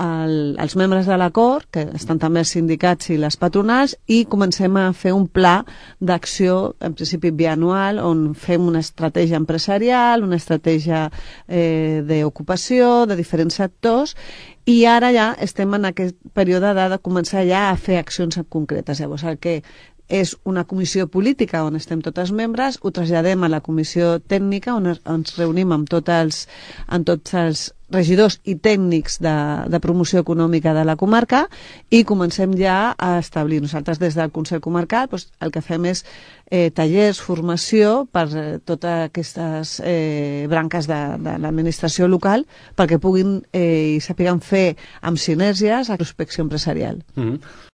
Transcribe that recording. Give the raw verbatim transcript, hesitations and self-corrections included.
el, els membres de l'acord, que estan també els sindicats i les patronals, i comencem a fer un pla d'acció, en principi bianual, on fem una estratègia empresarial, una estratègia eh, d'ocupació, de diferents sectors, i ara ja estem en aquest període de, de començar ja a fer accions concretes. Llavors, el que és una comissió política on estem tots els membres, ho traslladem a la comissió tècnica on ens reunim amb tots els, amb tots els regidors i tècnics de, de promoció econòmica de la comarca i comencem ja a establir. Nosaltres des del Consell Comarcal doncs, el que fem és eh, tallers, formació per eh, totes aquestes eh, branques de, de l'administració local perquè puguin eh, i sàpiguen fer amb sinergies la prospecció empresarial. Mm-hmm.